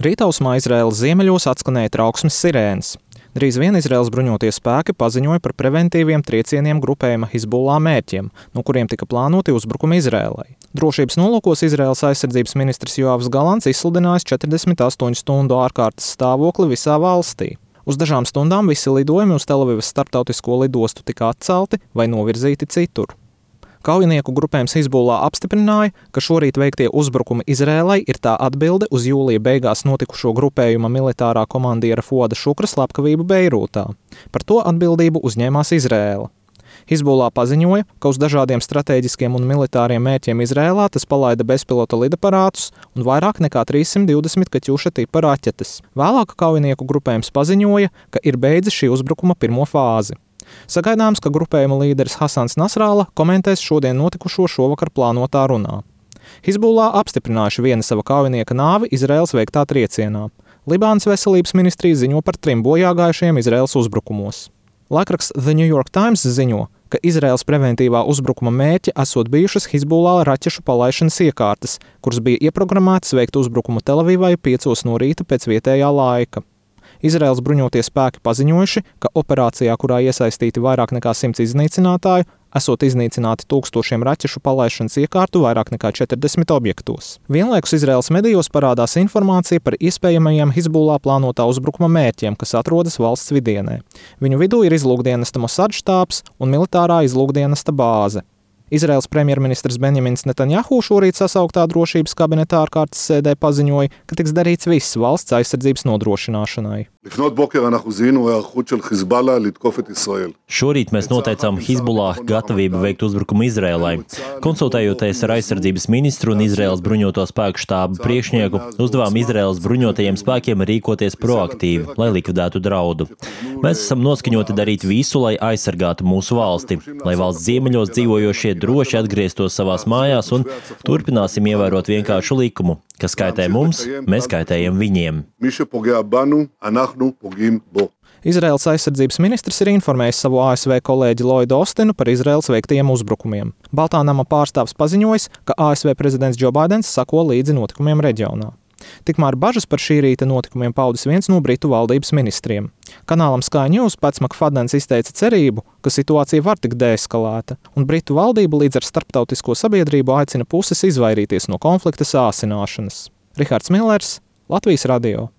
Rītausmā Izraēlas ziemeļos atskanēja trauksmes sirēnas. Drīz vien Izraēlas bruņotie spēki paziņoja par preventīviem triecieniem grupējuma Hizbullah mērķiem, no kuriem tika plānoti uzbrukumi Izraēlai. Drošības nolūkos Izraēlas aizsardzības ministrs Joavs Galants izsludinājis 48 stundu ārkārtas stāvokli visā valstī. Uz dažām stundām visi lidojumi uz Telavivas starptautisko lidostu tika atcelti vai novirzīti citur. Kaujinieku grupējums Hizbullah apstiprināja, ka šorīt veiktie uzbrukumi Izraēlai ir tā atbilde uz jūlija beigās notikušo grupējuma militārā komandiera Fuada Šukra slepkavību Beirūtā. Par to atbildību uzņēmās Izraēla. Hizbullah paziņoja, ka uz dažādiem stratēģiskiem un militāriem mērķiem Izraēlā tas palaida bezpilota lidaparātus un vairāk nekā 320 kaķuša tipa raķetes. Vēlāk kaujinieku grupējums paziņoja, ka ir beidzis šī uzbrukuma pirmo fāzi. Sagaidāms, ka grupējuma līderis Hasans Nasralla komentēs šodien notikušo šovakar plānotā runā. Hizbullah apstiprinājuši viena sava kaujinieka nāvi Izraēlas veiktā triecienā. Libānas veselības ministrija ziņo par 3 bojāgājušiem Izraēlas uzbrukumos. Laikraksts The New York Times ziņo, ka Izraēlas preventīvā uzbrukuma mērķi esot bijušas Hizbullah raķešu palaišanas iekārtas, kuras bija ieprogrammētas veikt uzbrukumu Telavivai 5 no rīta pēc vietējā laika. Izraēlas bruņotie spēki paziņojuši, ka operācijā, kurā iesaistīti vairāk nekā 100 iznīcinātāju, esot iznīcināti tūkstošiem raķešu palaišanas iekārtu vairāk nekā 40 objektos. Vienlaikus Izraēlas medijos parādās informācija par iespējamajiem Hizbullah plānotā uzbrukuma mērķiem, kas atrodas valsts vidienē. Viņu vidū ir izlūkdienesta Mosad štābs un militārā izlūkdienesta bāze. Izraēlas premjerministrs Benjamins Netanjahu šorīt sasauktā drošības kabineta ārkārtas sēdē paziņoja, ka tiks darīts viss valsts aizsardzības nodrošināšanai. Šorīt mēs noteicām Hizbullah gatavību veikt uzbrukumu Izraēlai. Konsultējoties ar aizsardzības ministru un Izraēlas bruņoto spēku štābu priekšnieku, uzdevām Izraēlas bruņotajiem spēkiem rīkoties proaktīvi, lai likvidētu draudu. Mēs esam noskaņoti darīt visu, lai aizsargātu mūsu valsti, lai valsts ziemeļos dzīvojošie droši atgrieztos savās mājās un turpināsim ievērot vienkāršu likumu. Kas kaitē mums, mēs kaitējam viņiem. Izraēlas aizsardzības ministrs ir informējis savu ASV kolēģi Lloydu Ostinu par Izraēlas veiktajiem uzbrukumiem. Baltā nama pārstāvs paziņojis, ka ASV prezidents Joe Baidens sako līdzi notikumiem reģionā. Tikmēr bažas par šī rīta notikumiem paudis viens no Britu valdības ministriem. Kanālam Sky News Pats Makfadens izteica cerību, ka situācija var tikt deeskalēta, un Britu valdība līdz ar starptautisko sabiedrību aicina puses izvairīties no konflikta sāsināšanas. Rihards Millers, Latvijas radio.